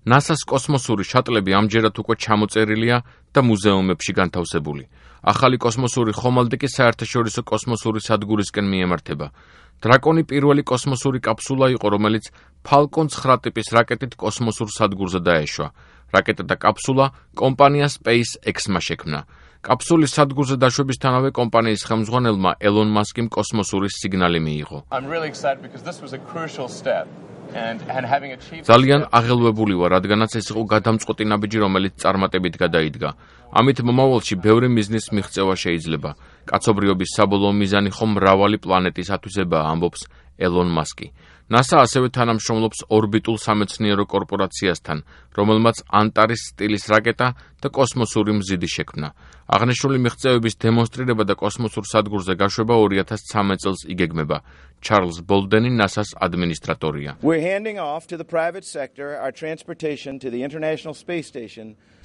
NASA-ს კოსმოსური შატლები ამჯერად უკვე ჩამოწერილია და მუზეუმებში განთავსებული. ახალი კოსმოსური ხომალდი კი საერთაშორისო კოსმოსური სადგურისკენ მიემართება. დრაკონი პირველი კოსმოსური კაფსულა იყო, რომელიც Falcon 9 ტიპის რაკეტით კოსმოსურ სადგურზე დაეშვა. რაკეტა და კაფსულა კომპანია SpaceX-მა შექმნა. კაფსულის სადგურზე დაშვებისთანავე კომპანიის ხელმძღვანელმა ელონ მასკიმ კოსმოსური სიგნალი მიიღო. ძალიან აღელვებული ვარ, რადგანაც ეს იყო გადამწყვეტი ნაბიჯი, რომელიც წარმატებით გადაიდგა. ამით მომავალში ბევრი მიზნის მიღწევა შეიძლება. კაცობრიობის საბოლოო მიზანი ხომ მრავალი პლანეტის ათვისებაა, ამბობს ელონ მასკი. NASA ასევე თანამშრომლობს ორბიტულ სამეცნიერო კორპორაციასთან, რომელმაც ანტარის სტილის რაკეტა და კოსმოსური მზიდი შექმნა. აღნიშნული მიღწევების დემონსტრირება და კოსმოსურ სადგურზე გაშვება 2013 წელს იგეგმება. ჩარლზ ბოლდენი NASA-ს ადმინისტრატორია.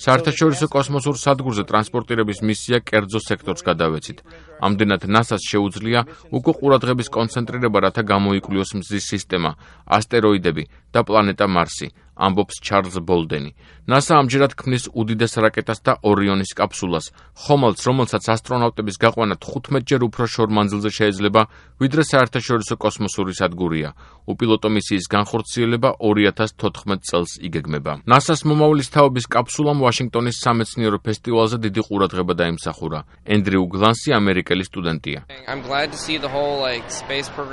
საერთაშორისო კოსმოსურ სადგურზე ტრანსპორტირების მისია კერძო სექტორს გადავეცით. ამდენად NASA-ს შეუძლია უკვე ყურადღების კონცენტრირება, რათა გამოიკვლიოს მზის სისტემა, ასტეროიდები და პლანეტა მარსი, ამბობს ჩარლზ ბოლდენი. NASA ამჯერად ქმნის უდიდეს რაკეტას და ორიონის კაფსულას, ხომალდს, რომელსაც ასტრონავტების გაყვანა 15-ჯერ უფრო შორ მანძილზე შეიძლება, ვიდრე საერთაშორისო კოსმოსური სადგურია. უპილოტო მისიის განხორციელება 2014 წელს იგეგმება. NASA-ს მომავლის თაობის კაფსულამ ვაშინგტონის სამეცნიერო ფესტივალზე დიდი ყურადღება დაიმსახურა. ენდრიუ გლანსი ამერიკელი სტუდენტია.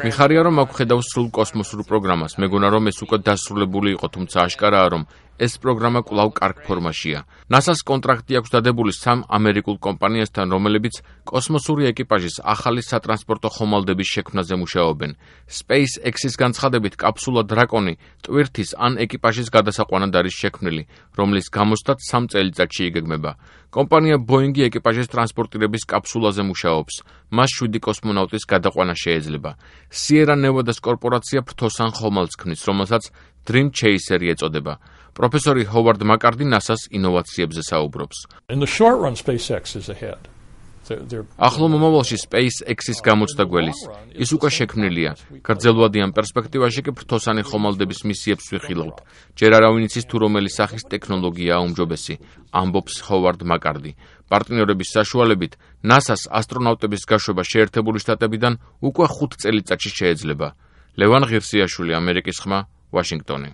მიხარია, რომ აქ ხედავს სრულ კოსმოსურ პროგრამას. მეგონა, რომ ეს უკვე დასრულებული იყო, თუმცა აშკარაა, რომ ეს პროგრამა კვლავ კარგ ფორმაშია. NASA-ს კონტრაქტი აქვს დადებული 3 ამერიკულ კომპანიასთან, რომლებიც კოსმოსური ეკიპაჟის ახალი სატრანსპორტო ხომალდების შექმნაზე მუშაობენ. SpaceX-ის განცხადებით, კაფსულა დრაკონი ტვირთის ან ეკიპაჟის გადასაყვანად არის შექმნილი, რომლის გამოსვლაც 3 წელიწადში იგეგმება. კომპანია Boeing-ი ეკიპაჟის ტრანსპორტირების კაფსულაზე მუშაობს. მას 7 კოსმონავტის გადაყვანა შეეძლება. Sierra Nevada-ს კორპორაცია ფრთოსან ხომალდს ქმნის, რომელსაც Dream Chaser-ი ეწოდება. პროფესორი ჰოვარდ მაკარდი NASA-ს ინოვაციებზე საუბრობს. ახლო მომავალში SpaceX-ის გამოცდა გველის. ის უკვე შექმნილია. გრძელვადიან პერსპექტივაში კი ფრთოსანი ხომალდების მისიებს ვიხილავთ. ჯერ არავინ იცის თუ რომელი სახის ტექნოლოგიაა უმჯობესი, ამბობს ჰოვარდ მაკარდი. პარტნიორების საშუალებით NASA-ს ასტრონავტების გაშვება შეერთებული შტატებიდან უკვე 5 წელიწადში შეეძლება. ლევან ღირსიაშვილი, ამერიკის ხმა, ვაშინგტონი.